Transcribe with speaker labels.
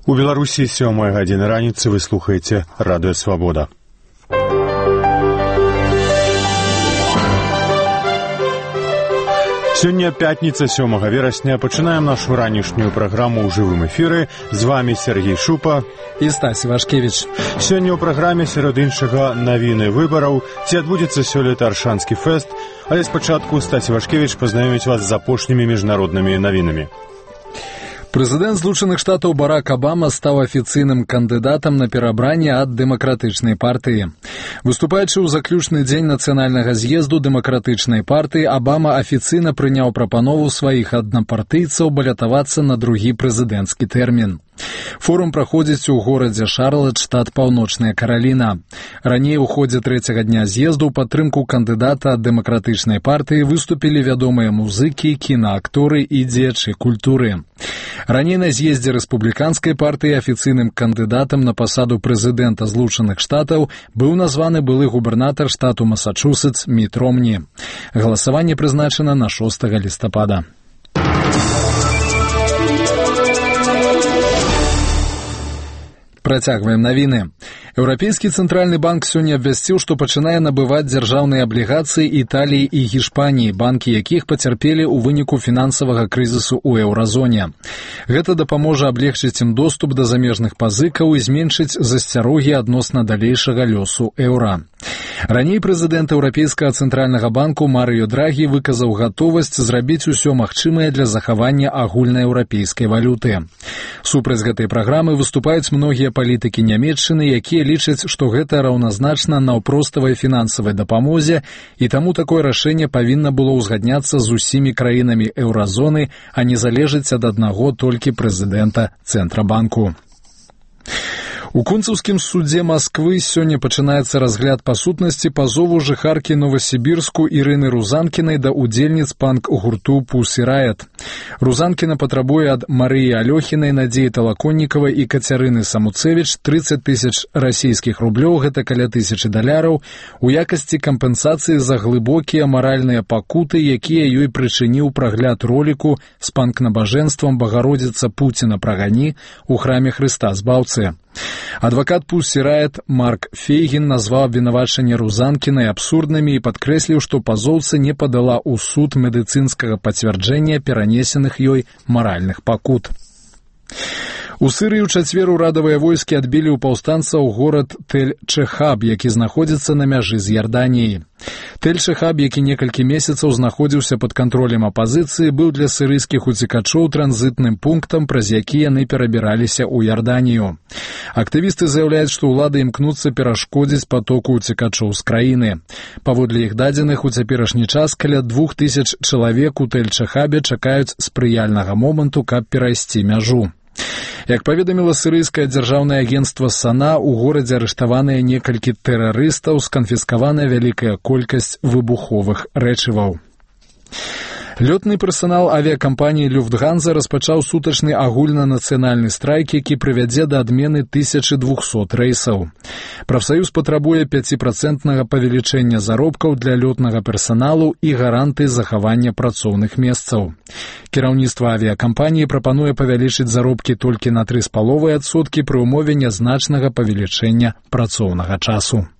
Speaker 1: У Беларусі 7 гадзіны раніцы вы слухаеце Радыё Свабода. Сёння пятніца 7 верасня. Пачынаем нашу ранішнюю праграму ў жывым эфіры. З вами Сергей Шупа
Speaker 2: і Стась Вашкевіч.
Speaker 1: Сёння ў праграме сярод іншага навіны выбараў, ці адбудзецца сёлета Аршанскі фэст, але спачатку Стась Вашкевіч пазнаёміць вас з апошнімі міжнароднымі навінамі.
Speaker 2: Прэзідэнт Злучаных Штатаў Барак Абама стаў афіцыйным кандыдатам на перабранне ад дэмакратычнай партыі. Выступаючы ў заключны дзень нацыянальнага з'езду дэмакратычнай партыі, Абама афіцыйна прыняў прапанову сваіх аднапартыйцаў балятавацца на другі прэзідэнцкі тэрмін. Форум праходзіць у горадзе Шарлат, штат Паўночная Караліна. Раней у ходзе трэцяга дня з'езду ў падтрымку кандыдата ад дэмакратычнай партыі выступілі вядомыя музыкі, кінаакторы і дзеячы культуры. Раней на з'ездзе рэспубліканскай партыі афіцыйным кандыдатам на пасаду прэзідэнта Злучаных Штатаў быў названы былы губернатар штату Масачусетс Міт Ромні. Галасаванне прызначана на 6 лістапада. Працягваем навіны. Еўрапейскі цэнтральны банк сёння абвясціў, што пачынае набываць дзяржаўныя аблігацыі Італіі і Гішпаніі, банкі якіх пацярпелі ў выніку фінансавага крызісу ў еўразоне. Гэта дапаможа аблегчыць ім доступ да замежных пазыкаў і зменшыць засцярогі адносна далейшага лёсу еўра. Раней прэзідэнт Еўрапейскага цэнтральнага банку Марыё Драгі выказаў гатовасць зрабіць усё магчымае для захавання агульнаеўрапейскай валюты. Супраць гэтай праграмы выступаюць многія палітыкі Нямецчыны, якія лічаць, што гэта раўназначна наўпроставай фінансавай дапамозе, і таму такое рашэнне павінна было ўзгадняцца з усімі краінамі еўразоны, а не залежыць ад аднаго толькі прэзідэнта Цэнтрабанку. У Кунцаўскім судзе Масквы сёння пачынаецца разгляд па сутнасці пазову жыхаркі Новасібірску Ірыны Рузанкінай да удзельніц панк-гурту Pussy Riot. Рузанкіна патрабуе ад Марыі Алёхінай, Надзеі Талаконнікавай і Кацярыны Самуцевіч 30 тысяч расійскіх рублёў, гэта каля $1000, у якасці кампенсацыі за глыбокія маральныя пакуты, якія ёй прычыніў прагляд роліку з панк-набажэнствам «Багародзіца Пуціна прагані» у храме Хрыста Збаўцы. Адвакат Pussy Riot Марк Фейгін назваў абвінавачанні Рузанкінай абсурднымі і падкрэсліў, што пазоўца не падала ў суд медыцынскага пацвярджэння перанесеных ёй маральных пакут. У Сырыі ў чацвер урадавыя войскі адбілі ў паўстанцаў горад Тель-Чехаб, які знаходзіцца на мяжы з Ярданіяй. Тель-Чехаб, які некалькі месяцаў знаходзіўся пад кантролем апазіцыі, быў для сырыйскіх уцекачоў транзітным пунктам, праз які яны перабіраліся ў Ярданію. Актывісты заяўляюць, што ўлады імкнуцца перашкодзіць патоку уцекачоў з краіны. Паводле іх дадзеных, у цяперашні час каля 2000 чалавек у Тель-Чехабе чакаюць спрыяльнага моманту, каб перайсці мяжу. Як паведаміла сырыйскае дзяржаўнае агенцтва САНА, у горадзе арыштаваныя некалькі тэрарыстаў, сканфіскаваная вялікая колькасць выбуховых рэчываў. Лётны персанал авіякампаніі «Люфтганза» распачаў сутачны агульнанацыянальны страйк, які прывядзе да адмены 1200 рэйсаў. Прафсаюз патрабуе 5% павелічэння заробкаў для лётнага персаналу і гарантыі захавання працоўных месцаў. Кіраўніцтва авіякампаніі прапануе павялічыць заробкі толькі на 3,5% пры ўмове нязначнага павелічэння працоўнага часу.